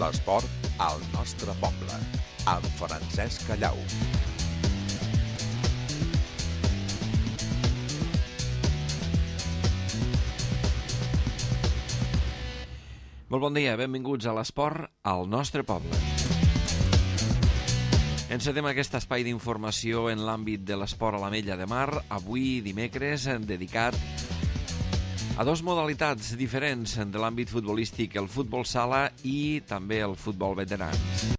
L'esport al nostre poble, amb Francesc Callau. Molt bon dia, benvinguts a l'esport al nostre poble. Encetem aquest espai d'informació en l'àmbit de l'esport a l'Ametlla de Mar, avui dimecres, dedicat a dues modalitats diferents de l'àmbit futbolístic, el futbol sala i també el futbol veterans.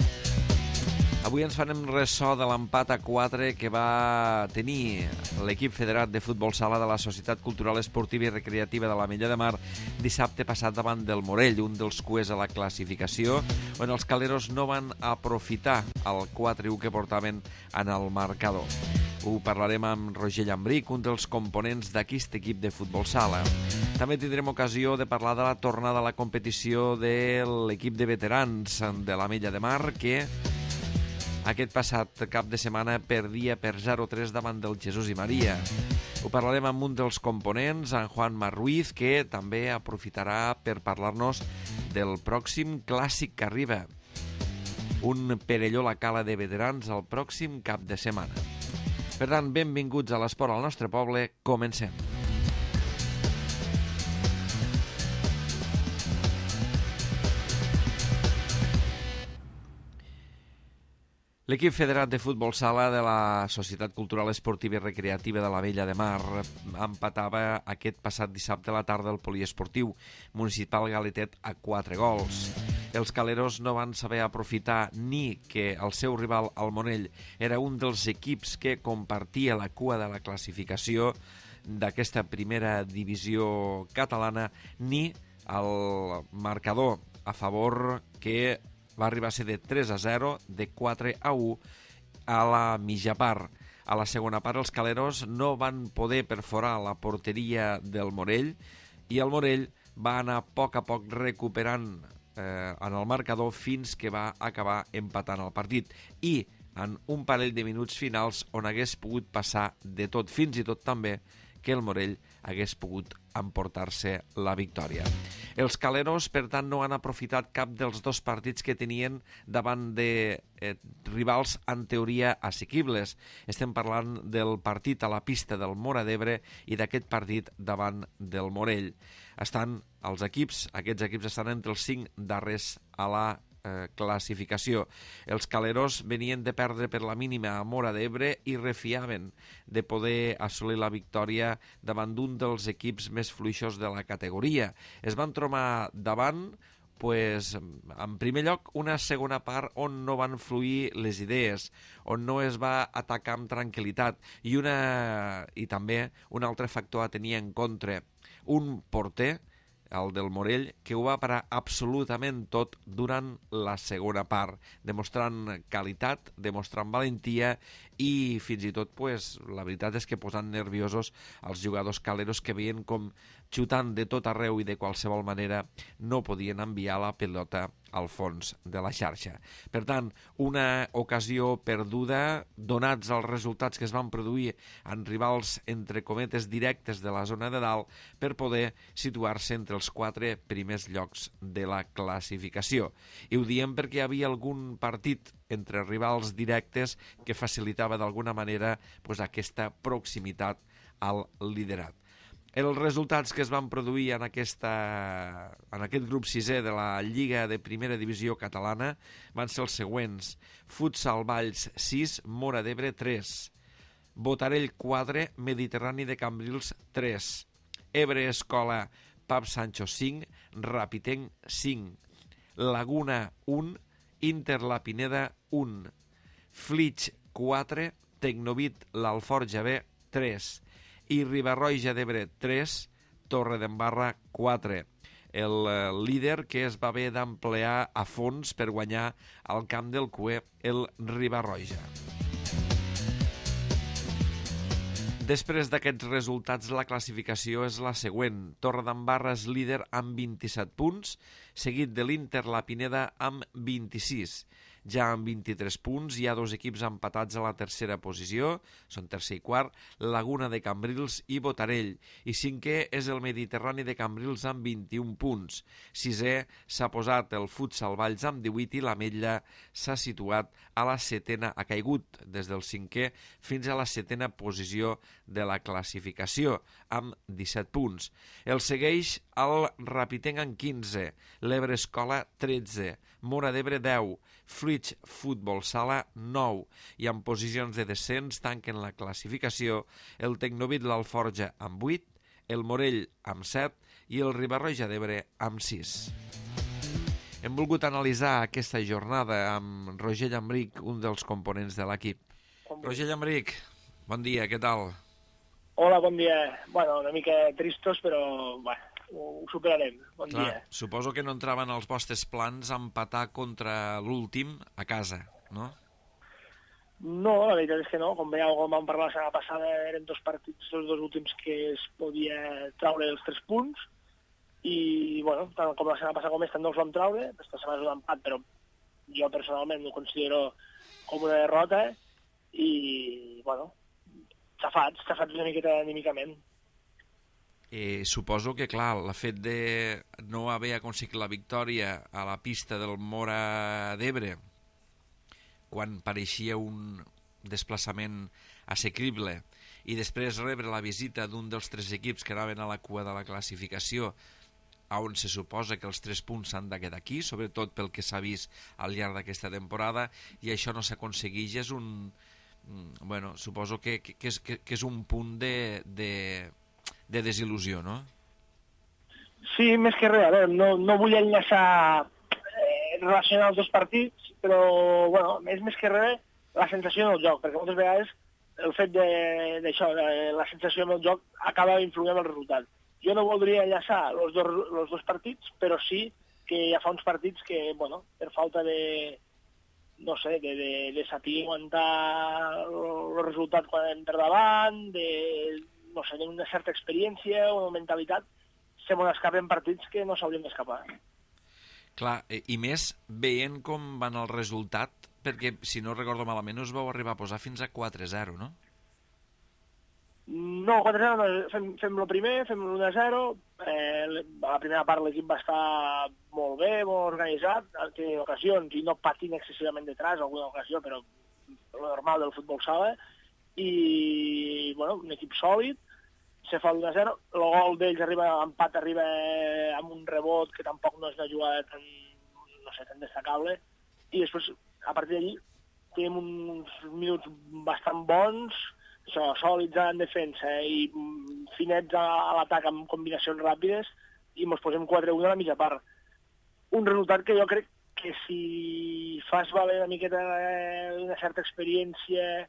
Avui ens farem ressò de l'empat a 4 que va tenir l'equip federat de futbol sala de la Societat Cultural Esportiva i Recreativa de l'Ametlla de Mar dissabte passat davant del Morell, un dels cuers a la classificació, on els caleros no van aprofitar el 4-1 que portaven en el marcador. Ho parlarem amb Roger Llambric, un dels components d'aquest equip de futbol sala. També tindrem ocasió de parlar de la tornada a la competició de l'equip de veterans de l'Ametlla de Mar, que aquest passat cap de setmana perdia per 0-3 davant del Jesús i Maria. Ho parlarem amb un dels components, en Juan Ruiz, que també aprofitarà per parlar-nos del pròxim clàssic que arriba. Un Perelló la Cala de veterans el pròxim cap de setmana. Per tant, benvinguts a l'esport al nostre poble. Comencem. L'equip federat de futbol sala de la Societat Cultural Esportiva i Recreativa de l'Ametlla de Mar empatava aquest passat dissabte a la tarda el poliesportiu municipal Galetet a 4 gols. Els caleros no van saber aprofitar ni que el seu rival, el Monell, era un dels equips que compartia la cua de la classificació d'aquesta primera divisió catalana, ni el marcador a favor que va arribar a ser de 3-0, de 4-1 a la mitja part. A la segona part els caleros no van poder perforar la porteria del Morell i el Morell va anar a poc recuperant en el marcador fins que va acabar empatant el partit. I en un parell de minuts finals on hagués pogut passar de tot, fins i tot també que el Morell hagués pogut emportar-se la victòria. Els caleros, per tant, no han aprofitat cap dels dos partits que tenien davant de rivals en teoria assequibles. Estem parlant del partit a la pista del Móra d'Ebre i d'aquest partit davant del Morell. Aquests equips estan entre els 5 darrers a la classificació. Els caleros venien de perdre per la mínima a Móra d'Ebre i refiaven de poder assolir la victòria davant d'un dels equips més fluixos de la categoria. Es van trobar davant, en primer lloc, una segona part on no van fluir les idees, on no es va atacar amb tranquil·litat i també un altre factor a tenir en compte, un porter, el del Morell, que ho va parar absolutament tot durant la segona part, demostrant qualitat, demostrant valentia i fins i tot, la veritat és que posant nerviosos els jugadors caleros que veien com xutant de tot arreu i de qualsevol manera no podien enviar la pelota al fons de la xarxa. Per tant, una ocasió perduda, donats els resultats que es van produir en rivals, entre cometes, directes de la zona de dalt, per poder situar-se entre els 4 primers llocs de la classificació. I ho diem perquè hi havia algun partit entre rivals directes que facilitava d'alguna manera aquesta proximitat al liderat. Els resultats que es van produir en aquest grup 6è de la Lliga de Primera Divisió Catalana van ser els següents: Futsal Valls 6, Móra d'Ebre 3, Botarell 4, Mediterrani de Cambrils 3, Ebre Escola Pap Sancho 5, Rapitenc 5, Laguna 1, Inter La Pineda 1, Flix 4, Tecnovit l'Alforja B 3 i Riba-roja d'Ebre 3, Torredembarra 4. El líder que es va haver d'emplear a fons per guanyar al camp del Cué, el Riba-roja. Després d'aquests resultats, la classificació és la següent. Torredembarra és líder amb 27 punts, seguit de l'Inter La Pineda amb 26. ja amb 23 punts. Hi ha 2 equips empatats a la tercera posició, són tercer i quart, Laguna de Cambrils i Botarell. I cinquè és el Mediterrani de Cambrils amb 21 punts. Sisè s'ha posat el Futsal Valls amb 18 i l'Ametlla s'ha situat a la setena, ha caigut des del 5è fins a la setena posició de la classificació, amb 17 punts. El segueix el Rapitenc amb 15, l'Ebre Escola 13, Móra d'Ebre 10, Fruits Futbol Sala 9, i en posicions de descens tanquen la classificació el Tecnovit l'Alforja amb 8, el Morell amb 7 i el Riba-roja d'Ebre amb 6. Hem volgut analitzar aquesta jornada amb Roger Llambric, un dels components de l'equip. Roger Llambric, bon dia, què tal? Hola, bon dia. Bueno, una mica tristos, però bueno, ho superarem. Bon dia. Suposo que no entraven als vostres plans empatar contra l'últim a casa, no? No, la veritat és que no. Com vam parlar la setmana passada, eren 2 partits, els 2 últims que es podia traure els 3 punts, i, bueno, tant com la setmana passada com esta no els vam traure. Esta setmana és un empat, però jo personalment ho considero com una derrota, i, bueno, xafats una miqueta anímicament. Suposo que, clar, el fet de no haver aconseguit la victòria a la pista del Móra d'Ebre, quan pareixia un desplaçament assequible, i després rebre la visita d'un dels 3 equips que anaven a la cua de la classificació, on se suposa que els 3 punts s'han de quedar aquí, sobretot pel que s'ha vist al llarg d'aquesta temporada, i això no s'aconsegueix, és un... Bueno, suposo que és un punt de desil·lusió, no? Sí, més que res. A veure, no vull enllaçar relacionar els 2 partits, però, bueno, és més que res la sensació del joc, perquè moltes vegades el fet d'això, la sensació del joc acaba influint en el resultat. Jo no voldria enllaçar els dos partits, però sí que hi ha uns partits que, bueno, per falta de, no sé, de saber aguantar el resultat quan anem per davant, no sé, d'una certa experiència o mentalitat, se m'ho escapen partits que no s'haurien d'escapar. Clar, i més veient com van el resultat, perquè, si no recordo malament, us vau arribar a posar fins a 4-0, no? No, 4-0, fem el primer, fem l'1-0, a la primera part l'equip va estar molt bé, molt organitzat, té ocasions i no patint excessivament detrás, alguna ocasió, però lo normal del futbol sala, i, bueno, un equip sòlid, se fa l'1-0, el gol d'ells l'empat arriba amb un rebot que tampoc no és una jugada tan, no sé, tan destacable, i després, a partir d'allí, tenim uns minuts bastant bons, això, sòlids en defensa i finets a l'atac amb combinacions ràpides, i ens posem 4-1 a la mitja part. Un resultat que jo crec que si fas valer una miqueta una certa experiència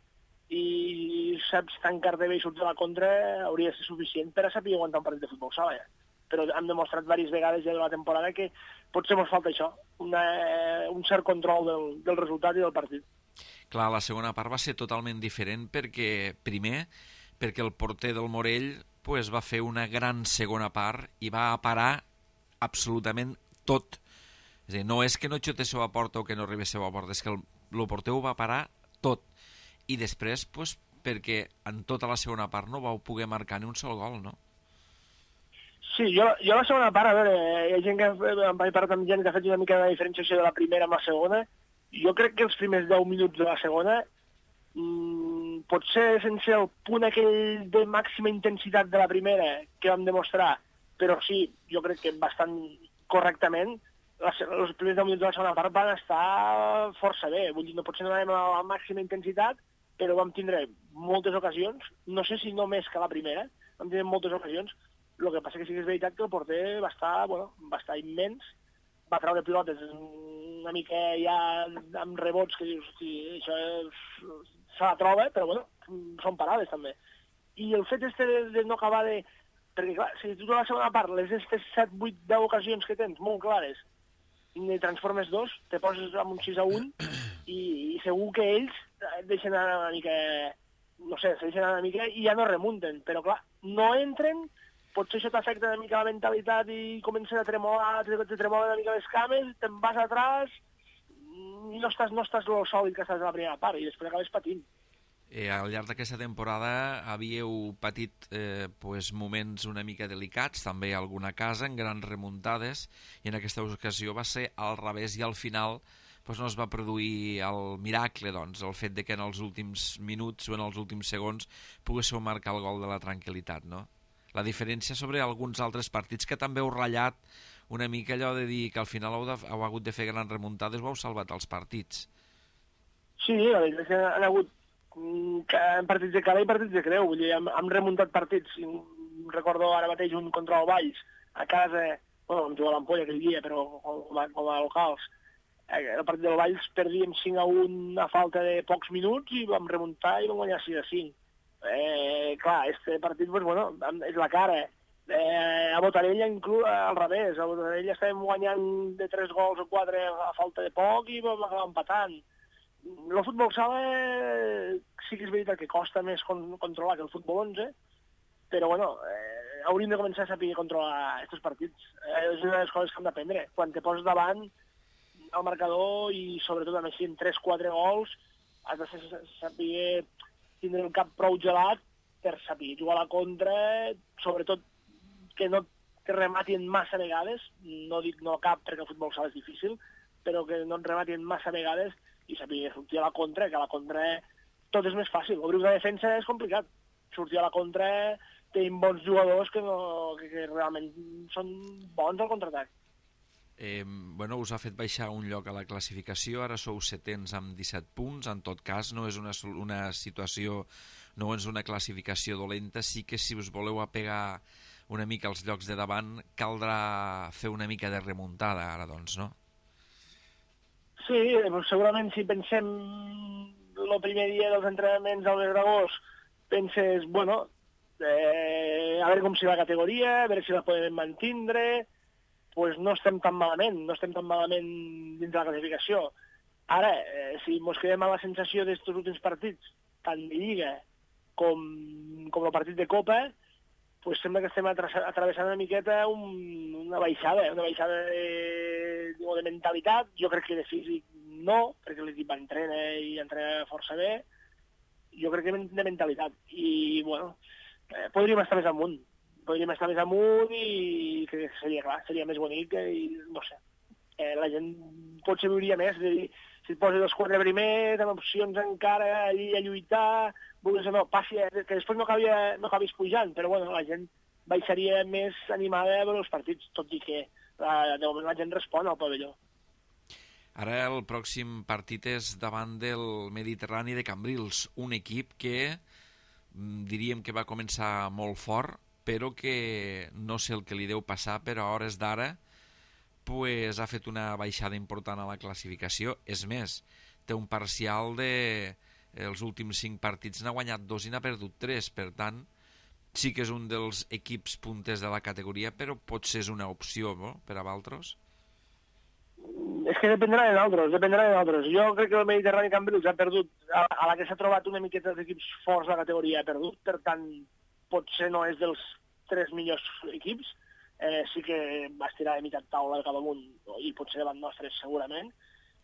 i saps tancar-te bé i surts a la contra, hauria de ser suficient per a saber aguantar un partit de futbol sala. Però hem demostrat diverses vegades ja de la temporada que potser ens falta això, un cert control del resultat i del partit. Clar, la segona part va ser totalment diferent perquè, primer, perquè el porter del Morell va fer una gran segona part i va parar absolutament tot. És a dir, no és que no xutéssiu a porta o que no arribéssiu a porta, és que el porter ho va parar tot. I després, perquè en tota la segona part no vau poder marcar ni un sol gol, no? Sí, jo la segona part, a veure, hi ha gent que em vaig parlar amb gent que ha fet una mica de diferenciació de la primera amb la segona. Jo crec que els primers 10 minuts de la segona, potser sense el punt aquell de màxima intensitat de la primera que vam demostrar, però sí, jo crec que bastant correctament, els primers 10 minuts de la segona part van estar força bé. Vull dir, no potser no anem a la màxima intensitat, però vam tindre moltes ocasions, no sé si no més que la primera, vam tindre moltes ocasions. El que passa que sí que és veritat que el porter va estar immens, va treure pilotes una mica ja amb rebots que dius, hosti, això se la troba, però bueno, són parades també. I el fet de no acabar de... Perquè clar, si tu a la segona part les 7, 8, 10 ocasions que tens molt clares i transformes 2, te poses amb un 6-1 i segur que ells deixen anar una mica, no sé, se deixen anar una mica i ja no remunten, però clar, no entren, potser això t'afecta una mica la mentalitat i comencen a tremolar, te tremolen una mica les cames, te'n vas atràs, no estàs lo sòlid que estàs a la primera part i després acabes patint. Al llarg d'aquesta temporada havíeu patit moments una mica delicats, també alguna casa, en grans remuntades, i en aquesta ocasió va ser al revés i al final no es va produir el miracle, doncs, el fet de que en els últims minuts o en els últims segons poguéssiu marcar el gol de la tranquil·litat, no? La diferència sobre alguns altres partits que també heu ratllat una mica allò de dir que al final heu hagut de fer grans remuntades o heu salvat els partits. Sí, la veritat és que han hagut partits de cara i partits de creu. Vull dir, hem remuntat partits. Recordo ara mateix un contra el Valls, a casa, bueno, vam jugar a l'Ampolla aquell dia, però com a locals. El partit del Valls perdíem 5-1 a falta de pocs minuts i vam remuntar i vam guanyar 6-5. Clar, este partit, és la cara. A Botarella, inclús, al revés. A Botarella estàvem guanyant de 3 gols o 4 a falta de poc i vam acabar empatant. El futbol sala sí que és veritat que costa més controlar que el futbol 11, però hauríem de començar a saber controlar aquests partits. És una de les coses que hem d'aprendre. Quan te poses davant el marcador i sobretot a més si en 3-4 gols has de saber tindre el cap prou gelat per saber jugar a la contra, sobretot que no te rematin massa vegades, no dic no cap perquè el futbol sala és difícil, però que no et rematin massa vegades i saber sortir a la contra, que a la contra tot és més fàcil. Obrir una defensa és complicat. Sortir a la contra tenim bons jugadors que realment són bons al contraatac. Us ha fet baixar un lloc a la classificació, ara sou setens amb 17 punts, en tot cas no és una situació, no és una classificació dolenta, sí que si us voleu apegar una mica als llocs de davant caldrà fer una mica de remuntada ara, doncs, no? Sí, segurament si pensem el primer dia dels entrenaments al mes d'agost, penses, a veure com serà la categoria, a veure si la podem mantindre, doncs no estem tan malament dins de la classificació. Ara, si ens quedem a la sensació d'estos últims partits, tant de Lliga com el partit de Copa, doncs sembla que estem atravessant una miqueta una baixada de mentalitat. Jo crec que de físic no, perquè l'equip entrena i entrena força bé. Jo crec que de mentalitat. I, podríem estar més amunt. I crec que seria més bonic i, no sé, la gent potser viuria més. És a dir, si et poses els 4 primers, amb opcions encara allí a lluitar, passi, que després no acabis pujant, però la gent baixaria més animada a veure els partits, tot i que de moment la gent respon al pavelló. Ara el pròxim partit és davant del Mediterrani de Cambrils, un equip que diríem que va començar molt fort, però que no sé el que li deu passar, però a hores d'ara ha fet una baixada important a la classificació. És més, té un parcial de els últims 5 partits n'ha guanyat 2 i n'ha perdut 3, per tant sí que és un dels equips punters de la categoria, però potser és una opció, no?, per a Valtros. És que dependrà de nosaltres. Jo crec que el Mediterrani Cambrils ha perdut, a la que s'ha trobat una miqueta dels equips forts de la categoria ha perdut, per tant potser no és dels 3 millors equips, sí que va estirar de mitja taula cap amunt i potser davant nostres segurament,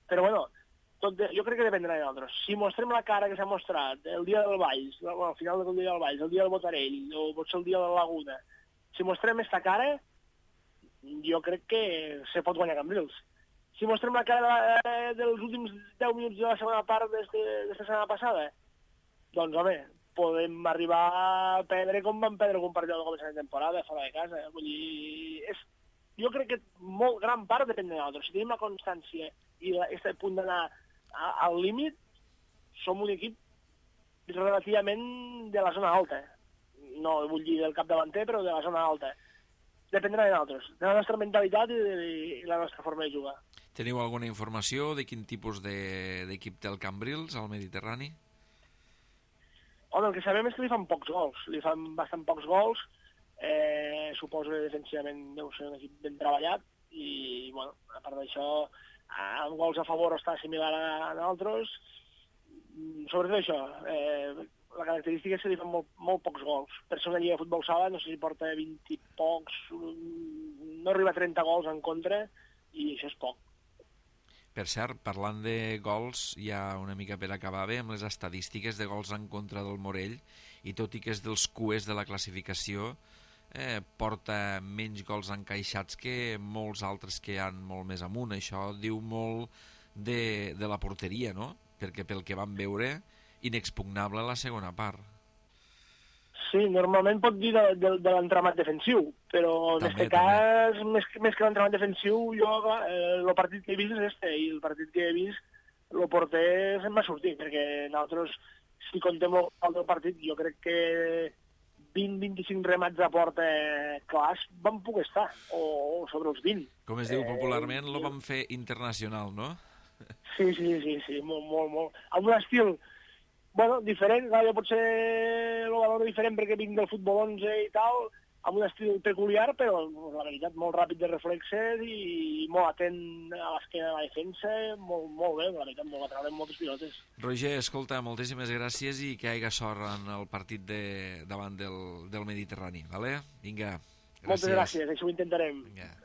però jo crec que dependrà de nosaltres. Si mostrem la cara que s'ha mostrat el dia del Valls, al final del dia del Valls, el dia del Botarell o potser el dia de la Laguna, si mostrem aquesta cara, jo crec que se pot guanyar Cambrils. Si mostrem la cara dels últims 10 minuts de la segona part d'esta setmana passada, doncs, home, podem arribar a perdre com vam perdre algun partit al començament de temporada, fora de casa. Vull dir, jo crec que molt gran part depèn de nosaltres. Si tenim la constància i aquest punt d'anar al límit, som un equip relativament de la zona alta. No vull dir del capdavanter, però de la zona alta. Dependrà de nosaltres, de la nostra mentalitat i la nostra forma de jugar. Teniu alguna informació de quin tipus d'equip té el Cambrils al Mediterrani? Home, el que sabem és que li fan pocs gols. Li fan bastant pocs gols. Suposo que defensivament deu ser un equip ben treballat i, a part d'això, amb gols a favor està similar a nosaltres. Sobretot això, la característica és que li fan molt pocs gols. Per ser una lliga de futbol sala, no sé si porta 20 i pocs, no arriba a 30 gols en contra, i això és poc. Per cert, parlant de gols, ja una mica per acabar bé, amb les estadístiques de gols en contra del Morell, i tot i que és dels cues de la classificació, porta menys gols encaixats que molts altres que han molt més amunt. Això diu molt de la porteria, no? Perquè pel que vam veure, inexpugnable la segona part. Sí, normalment pot dir de l'entramat defensiu, però en aquest cas, més que l'entramat defensiu, jo el partit que he vist és este, i el partit que he vist, el porter se'n va sortir, perquè nosaltres, si contem el del partit, jo crec que 20-25 remats a porta clars van poder estar, o sobre els 20. Com es diu popularment, lo vam fer internacional, no? Sí, molt. Amb un estil, bueno, diferent, clar, jo potser el valor diferent perquè vinc del futbol 11 i tal, amb un estil peculiar, però la veritat, molt ràpid de reflexes i molt atent a l'esquena de la defensa, molt bé, la veritat, molt atrau en moltes pilotes. Roger, escolta, moltíssimes gràcies i que hi hagi sort en el partit davant del Mediterrani, vale? Vinga, gràcies. Moltes gràcies, això ho intentarem. Vinga.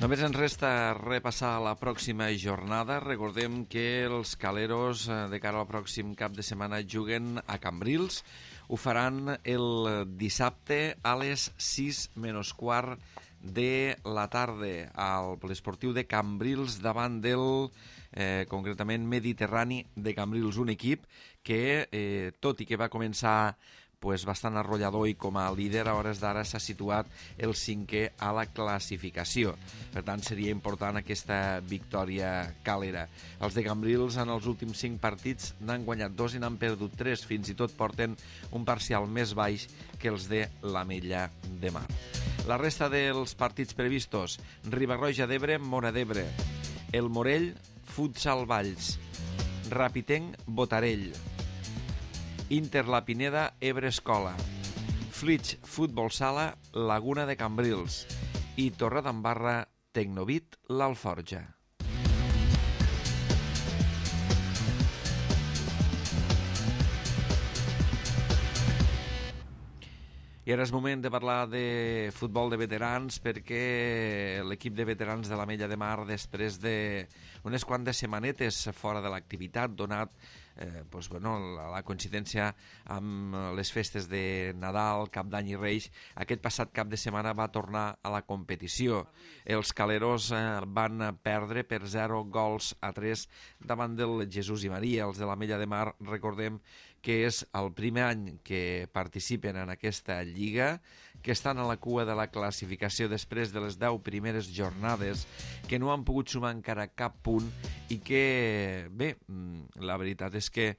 Només ens resta repassar la pròxima jornada. Recordem que els caleros de cara al pròxim cap de setmana juguen a Cambrils. Ho faran el dissabte a les 6:15 de la tarda al poliesportiu de Cambrils davant del concretament Mediterrani de Cambrils, un equip que, tot i que va començar bastant arrollador i com a líder a hores d'ara s'ha situat el 5è a la classificació. Per tant, seria important aquesta victòria calera. Els de Cambrils en els últims 5 partits n'han guanyat 2 i n'han perdut 3. Fins i tot porten un parcial més baix que els de l'Ametlla de Mar. La resta dels partits previstos: Riba-roja d'Ebre, Móra d'Ebre. El Morell, Futsal Valls. Rapitenc, Botarell. Inter La Pineda, Ebre Escola. Flix Futbol Sala, Laguna de Cambrils. I Torredembarra, Tecnovit, l'Alforja. I ara és moment de parlar de futbol de veterans, perquè l'equip de veterans de l'Ametlla de Mar, després d'unes quantes setmanetes fora de l'activitat, donat la coincidència amb les festes de Nadal, Cap d'Any i Reis, aquest passat cap de setmana va tornar a la competició. Els caleros van perdre per 0-3 davant del Jesús i Maria. Els de l'Ametlla de Mar, recordem que és el primer any que participen en aquesta lliga, que estan a la cua de la classificació després de les 10 primeres jornades, que no han pogut sumar encara cap punt i que, bé, la veritat és que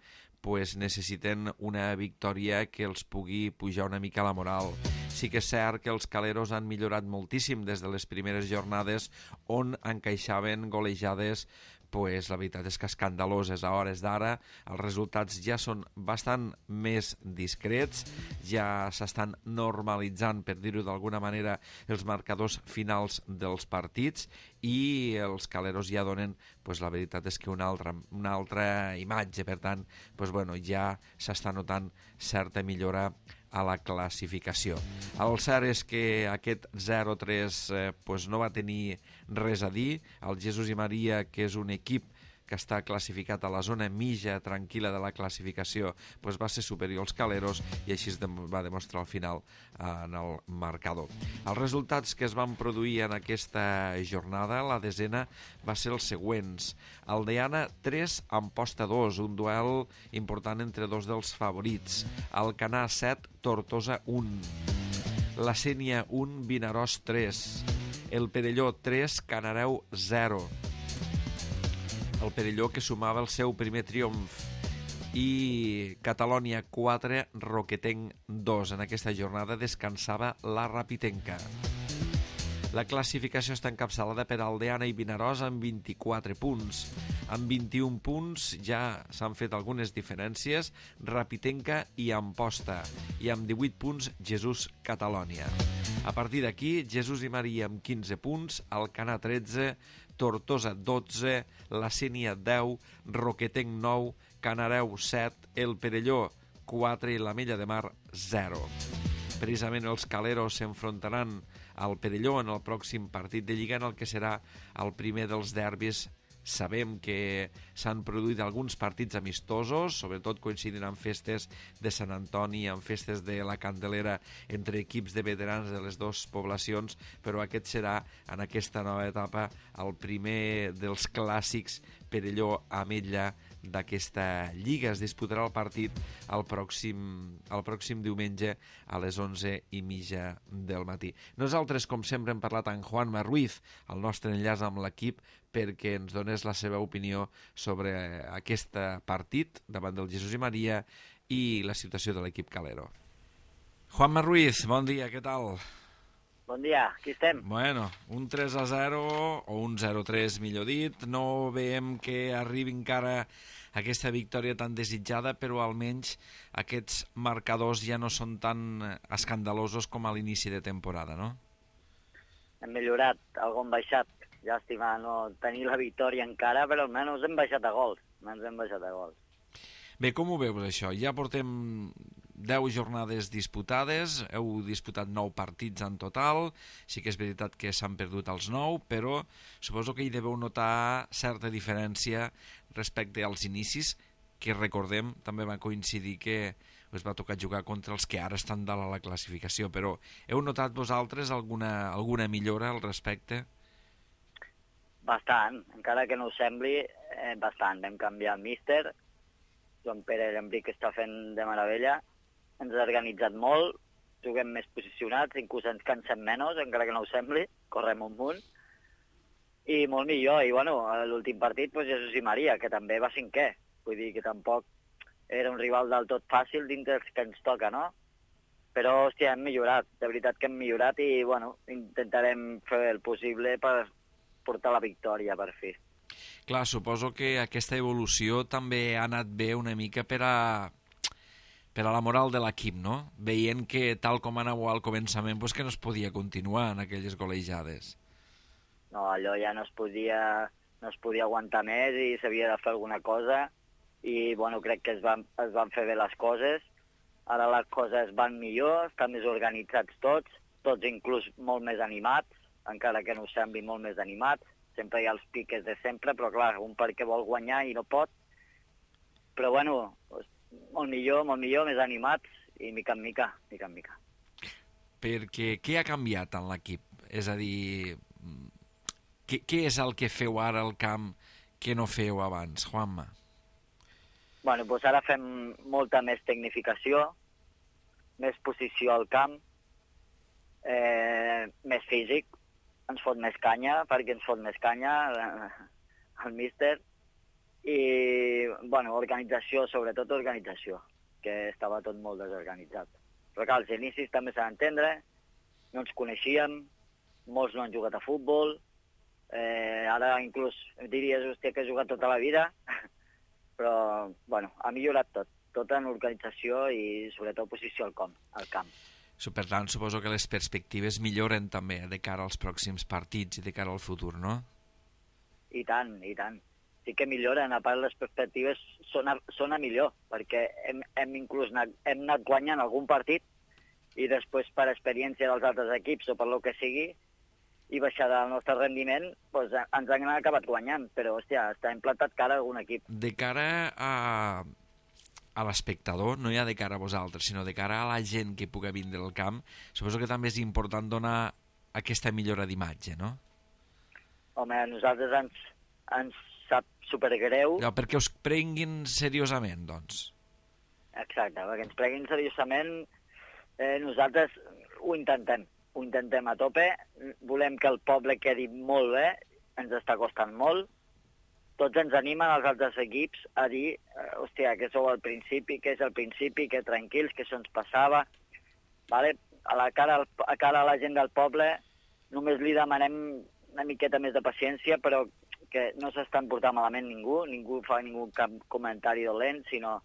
necessiten una victòria que els pugui pujar una mica la moral. Sí que és cert que els caleros han millorat moltíssim des de les primeres jornades, on encaixaven golejades la veritat és que escandaloses a hores d'ara. Els resultats ja són bastant més discrets, ja s'estan normalitzant, per dir-ho d'alguna manera, els marcadors finals dels partits, i els caleros ja donen, la veritat és que una altra imatge. Per tant, ja s'està notant certa millora a la classificació. El cert és que aquest 0-3 no va tenir res a dir. El Jesús i Maria, que és un equip que està classificat a la zona mitja tranquil·la de la classificació, va ser superior als caleros, i així es va demostrar al final en el marcador. Els resultats que es van produir en aquesta jornada, la desena, va ser els següents. Aldeana 3, Amposta 2, un duel important entre dos dels favorits. Alcanar 7, Tortosa 1. La Sénia 1, Vinaròs 3. El Perelló 3, Canareu 0. El Perelló, que sumava el seu primer triomf. I Catalònia 4, Roquetenc 2. En aquesta jornada descansava la Rapitenca. La classificació està encapçalada per Aldeana i Vinaròs amb 24 punts. Amb 21 punts ja s'han fet algunes diferències Rapitenca i Amposta. I amb 18 punts Jesús Catalònia. A partir d'aquí, Jesús i Maria amb 15 punts, Alcanar 13, Tortosa 12, la Sénia 10, Roquetenc 9, Canareu 7, el Perelló 4 i l'Ametlla de Mar 0. Precisament els caleros s'enfrontaran al Perelló en el pròxim partit de Lliga, en el que serà el primer dels derbis. Sabem que s'han produït alguns partits amistosos, sobretot coincidint amb festes de Sant Antoni, amb festes de la Candelera, entre equips de veterans de les dues poblacions, però aquest serà, en aquesta nova etapa, el primer dels clàssics Perelló-Ametlla d'aquesta Lliga. Es disputarà el partit el pròxim diumenge a les 11:30 del matí. Nosaltres, com sempre, hem parlat amb Juanma Ruiz, el nostre enllaç amb l'equip, perquè ens donés la seva opinió sobre aquest partit davant del Jesús i Maria i la situació de l'equip calero. Juanma Ruiz, bon dia, què tal? Bon dia, aquí estem. Bueno, un 3-0 o un 0-3, millor dit. No veiem que arribi encara aquesta victòria tan desitjada, però almenys aquests marcadors ja no són tan escandalosos com a l'inici de temporada, no? Hem millorat, algo hem baixat. Llàstima no tenir la victòria encara, però almenys hem baixat a gols. Bé, com ho veus, això? Ja portem 10 jornades disputades, heu disputat 9 partits en total, sí que és veritat que s'han perdut els 9, però suposo que hi deveu notar certa diferència respecte als inicis, que recordem, també va coincidir que us va tocar jugar contra els que ara estan dalt a la classificació, però heu notat vosaltres alguna millora al respecte? Bastant, encara que no ho sembli, bastant. Vam canviar el míster, Joan Pere Llambric està fent de meravella, ens ha organitzat molt, juguem més posicionats, inclús ens cansem menys, encara que no ho sembli, correm un munt, i molt millor. I bueno, l'últim partit, doncs, Jesús i Maria, que també va cinquè, vull dir que tampoc era un rival del tot fàcil dintre dels que ens toca, no? Però, hòstia, hem millorat, de veritat que hem millorat i, bueno, intentarem fer el possible per portar la victòria, per fi. Clar, suposo que aquesta evolució també ha anat bé una mica per a la moral de l'equip, no? Veient que tal com anàveu al començament, doncs que no es podia continuar en aquelles golejades. No, allò ja no es podia aguantar més i s'havia de fer alguna cosa i, bueno, crec que es van fer bé les coses. Ara les coses van millor, estan més organitzats tots inclús molt més animats, encara que no ho sembli molt més animats. Sempre hi ha els piques de sempre, però clar, un perquè vol guanyar i no pot. Però bueno, molt millor, més animats i mica en mica. Perquè què ha canviat en l'equip? És a dir, què és el que feu ara al camp que no feu abans, Juanma? Bueno, doncs ara fem molta més tecnificació, més posició al camp, més físic, ens fot més canya, perquè ens fot més canya el míster, i, bueno, organització, sobretot organització, que estava tot molt desorganitzat. Però clar, als inicis també s'ha d'entendre, no ens coneixíem, molts no han jugat a futbol, ara inclús diries, hòstia, que he jugat tota la vida, però, bueno, ha millorat tot en organització i sobretot posició al camp. Per tant, suposo que les perspectives milloren també de cara als pròxims partits i de cara al futur, no? I tant. Sí que milloren, a part les perspectives són a millor, perquè hem anat guanyant algun partit i després per experiència dels altres equips o per lo que sigui i baixar del nostre rendiment, doncs ens han acabat guanyant, però hòstia, està implantat cara a algun equip. De cara a l'espectador, no ja de cara a vosaltres, sinó de cara a la gent que pugui vindre al camp, suposo que també és important donar aquesta millora d'imatge, no? Home, a nosaltres ens sap supergreu. No, perquè us prenguin seriosament, doncs. Exacte, perquè ens prenguin seriosament, nosaltres ho intentem a tope, volem que el poble quedi molt bé, ens està costant molt, tots ens animen als altres equips a dir, hòstia, que sou al principi, que és el principi, que tranquils, que això ens passava. Vale? A cara a la gent del poble només li demanem una miqueta més de paciència, però que no s'estan portant malament ningú fa cap comentari dolent, sinó,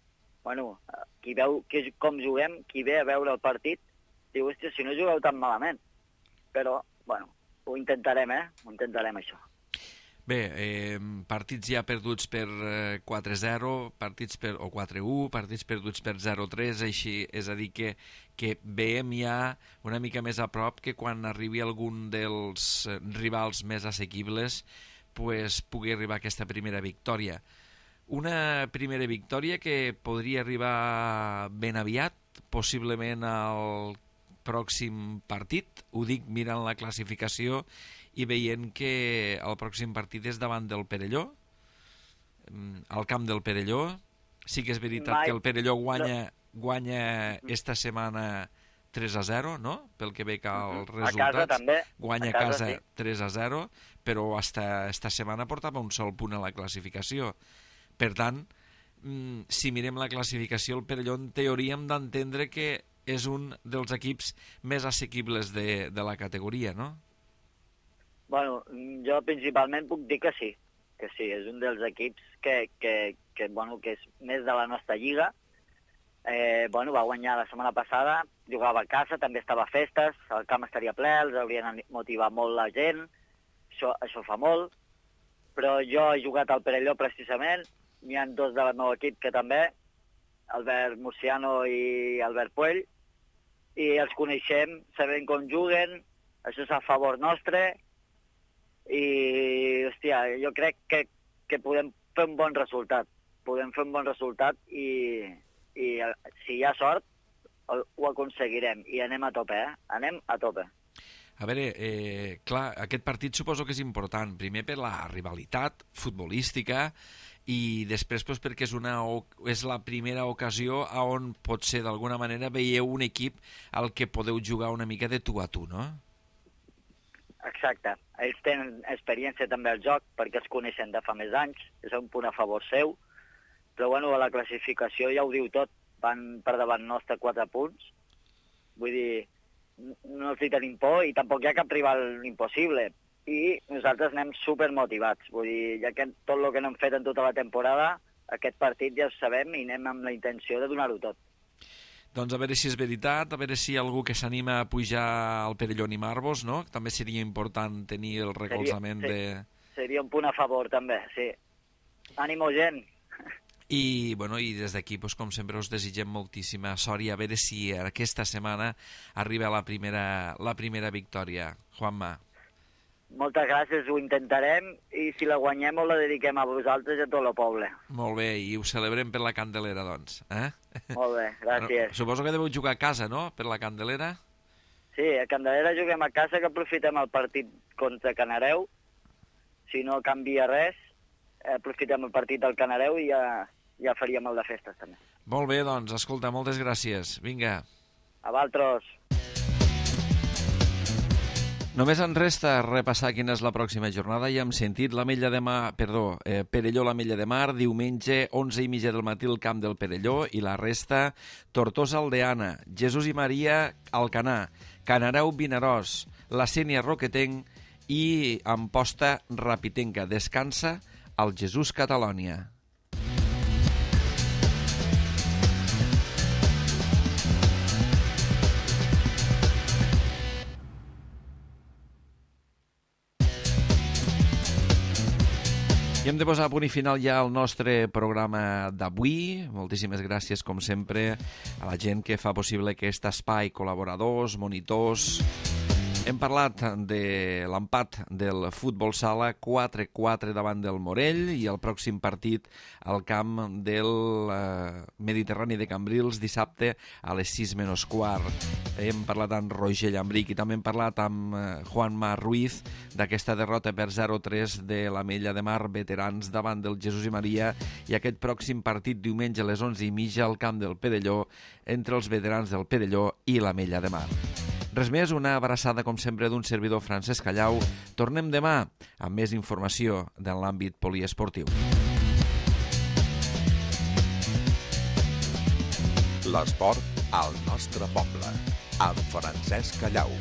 bueno, qui veu com juguem, qui ve a veure el partit, diu, hòstia, si no jugueu tan malament. Però, bueno, ho intentarem, això. Bé, partits ja perduts per 4-0, o 4-1, partits perduts per 0-3, així, és a dir que veiem ja una mica més a prop que quan arribi algun dels rivals més assequibles pues, pugui arribar aquesta primera victòria. Una primera victòria que podria arribar ben aviat, possiblement al pròxim partit, ho dic mirant la classificació i veient que el pròxim partit és davant del Perelló, al camp del Perelló. Sí que és veritat que el Perelló guanya esta setmana 3-0, no? Pel que veig als resultats. A casa també. Guanya a casa 3-0, però esta setmana portava un sol punt a la classificació. Per tant, si mirem la classificació, el Perelló en teoria hem d'entendre que és un dels equips més assequibles de la categoria, no? Bueno, jo principalment puc dir que sí, és un dels equips que és més de la nostra lliga. Va guanyar la setmana passada, jugava a casa, també estava a festes, el camp estaria ple, els haurien motivat molt la gent, això fa molt, però jo he jugat al Perelló precisament, n'hi ha dos del meu equip que també, Albert Murciano i Albert Puell, i els coneixem, sabem com juguen, això és a favor nostre, i, hòstia, jo crec que podem fer un bon resultat. I si hi ha sort, ho aconseguirem. I anem a tope, Anem a tope. A veure, clar, aquest partit suposo que és important. Primer per la rivalitat futbolística i després doncs, perquè és la primera ocasió on potser d'alguna manera veieu un equip al que podeu jugar una mica de tu a tu, no? Exacte. Ells tenen experiència també al joc perquè es coneixen de fa més anys, és un punt a favor seu, però bueno, a la classificació ja ho diu tot, van per davant nostre 4 punts, vull dir, no els hi tenim por i tampoc hi ha cap rival impossible, i nosaltres anem supermotivats, vull dir, ja que tot el que no hem fet en tota la temporada, aquest partit ja ho sabem i anem amb la intenció de donar-ho tot. Doncs a veure si és veritat, a veure si hi ha algú que s'anima a pujar al Perelló a animar-vos, no? També seria important tenir el recolzament Seria un punt a favor, també, sí. Ànimo, gent! I des d'aquí, com sempre, us desitgem moltíssima sort i a veure si aquesta setmana arriba la primera victòria. Juanma. Moltes gràcies, ho intentarem, i si la guanyem ho la dediquem a vosaltres i a tot el poble. Molt bé, i ho celebrem per la Candelera, doncs. Molt bé, gràcies. Suposo que deveu jugar a casa, no?, per la Candelera? Sí, a Candelera juguem a casa, que aprofitem el partit contra Canareu. Si no canvia res, aprofitem el partit del Canareu i ja faríem el de festes, també. Molt bé, doncs, escolta, moltes gràcies. Vinga. A vosaltres. Només ens resta repassar quina és la pròxima jornada. Ja hem sentit Perelló l'Ametlla de Mar, diumenge 11:30 del matí al camp del Perelló, i la resta Tortosa Aldeana, Jesús i Maria Alcanar, Canareu Vinaròs, la Sénia Roquetenc i Amposta Rapitenca. Descansa al Jesús Catalònia. I hem de posar a punt i final ja el nostre programa d'avui. Moltíssimes gràcies, com sempre, a la gent que fa possible aquest espai, col·laboradors, monitors. Hem parlat de l'empat del futbol sala 4-4 davant del Morell i el pròxim partit al camp del Mediterrani de Cambrils dissabte a les 6:15. Hem parlat amb Roger Llambric i també hem parlat amb Juanma Ruiz d'aquesta derrota per 0-3 de l'Ametlla de Mar veterans davant del Jesús i Maria i aquest pròxim partit diumenge a les 11:30 al camp del Perelló entre els veterans del Perelló i l'Ametlla de Mar. Res més, una abraçada com sempre d'un servidor Francesc Callau. Tornem demà amb més informació de l'àmbit poliesportiu. L'esport al nostre poble, amb Francesc Callau.